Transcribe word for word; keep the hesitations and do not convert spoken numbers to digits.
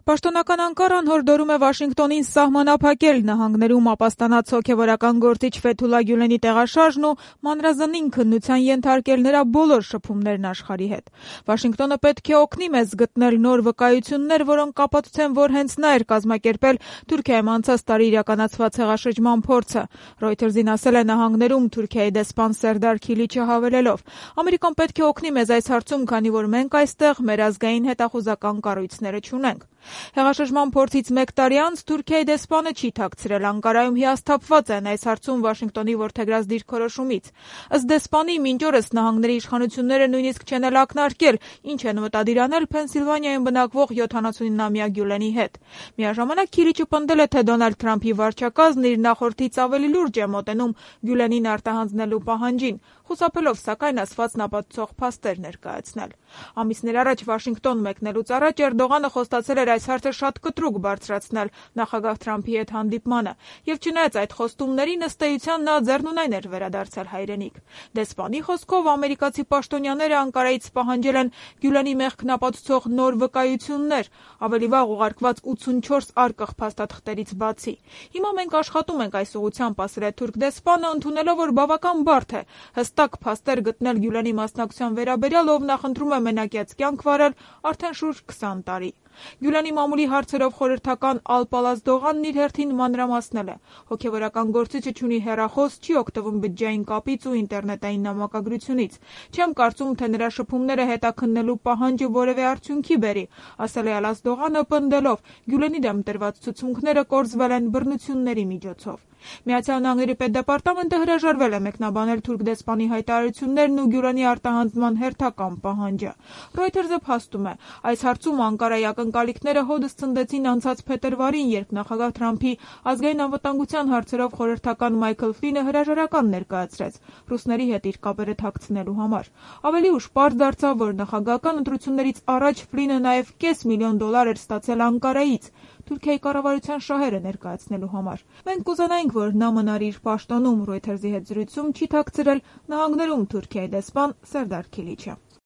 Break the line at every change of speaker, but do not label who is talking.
Պաշտոնական Անկարան հորդորում է Վաշինգտոնին սահմանափակել նահանգներում ապաստանած հոգևորական գործիչ Ֆեթուլա Գյուլենի տեղաշարժն ու մանրազնին քննության ենթարկել նրա բոլոր շփումներն աշխարհի հետ։ Վաշինգտոնը պետք է օգնի մեզ գտնել նոր վկայություններ, որոնք կապացուցեն, որ հենց նա էր կազմակերպել Թուրքիայում անցած տարի իրականացված հեղաշրջման փորձը, Reuters-ին ասել է նահանգներում Թուրքիայի դեսպան Սերդար Քիլիչը հավելելով. Ամերիկան պետք է օգնի մեզ այս հարցում, քանի որ մենք այստեղ մեր ազգային հետախուզական կառույցները չունենք։ Հեղաշրջման փորձից մեկ տարի անց Թուրքիայի դեսպանը չի թաքցրել Անկարայում հիասթափված են այս հարցում Վաշինգտոնի որդեգրած դիրքորոշումից։ Ըստ դեսպանի, մինչ օրս նահանգների իշխանությունները նույնիսկ չեն էլ ակնարկել, ինչ են մտադիր անել Փենսիլվանիայում բնակվող յոթանասունինամյա Գյուլենի հետ։ Միաժամանակ Քիլիչը պնդել է, թե Դոնալդ Թրամփի վարչակազմն իր նախորդից ավելի լուրջ է մոտենում Գյուլենին արտահանձնելու պահանջին, խուսափելով սակայն ասվածն ապացուցող փաստեր ներկայացնել։ Ամիսներ առաջ Վաշինգտոն մեկնելուց առաջ Էրդողանը խոստացել էր այս հարցը շատ կտրուկ բարձրացնել նախագահ Թրամփի հետ հանդիպմանը, եւ չնայած այդ խոստումներին ըստ էության նա ձեռնունայն էր վերադարձել հայրենիք։ Դեսպանի խոսքով ամերիկացի պաշտոնյաները Անկարայից պահանջել են Գյուլենի մեղքն ապացուցող նոր վկայություններ, ավելի վաղ ուղարկված ութսունչորս արկղ փաստաթղթերից բացի։ Հիմա մենք աշխատում ենք այս ուղղությամբ, ասել է թուրք դեսպանը, ընդունելով, որ բավական բարդ է հստակ փաստեր գտնել Գյուլենի մասնակցության վերաբերյալ, ով նախընտրում է մենակյաց կյանք վարել արդեն շուրջ քսան տարի։ Գյուլենի մամուլի հարցերով խորհրդական Ալ-Պալաս Դողանն իր հերթին մանրամասնել է. հոգևորական գործիչը չունի հեռախոս, չի օգտվում բջջային կապից ու ինտերնետային նամակագրությունից։ Չեմ կարծում, թե նրա շփումները հետաքննելու պահանջը որևէ արդյունքի բերի, ասել է Ալաս Դողանը, պնդելով. Գյուլենի դեմ տրված ցուցմունքները կորզվել են բռնությունների միջոցով։ Միացյալ Նահանգների պետդեպարտամենտը հրաժարվել է մեկնաբանել թուրք դեսպանի հայտարարություններն ու Գյուլենի արտահանձնման հերթական պահանջը։ Reuters-ը փաստում է, այս հարցում Անկարայի ակնկալիքները հօդս ցնդեցին անցած փետրվարին, երբ նախագահ Թրամփի ազգային անվտանգության հարցերով խորհրդական Մայքլ Ֆլինը հրաժարական ներկայացրեց ռուսների հետ իր կապերը թաքցնելու համար։ Ավելի ուշ պարզ դարձավ, որ նախագահական ընտրություններից առաջ Ֆլինը նաև կես միլիոն դոլար էր ստացել Անկարայից Թուրքիայի կառավարության շահերը ներկայացնելու համար։ Մենք կուզենայինք, որ նա մնար իր պաշտոնում, Reuters-ի հետ զրույցում չի թաքցրել նահանգներում Թուրքիայի դեսպան Սերդար Քիլիչը։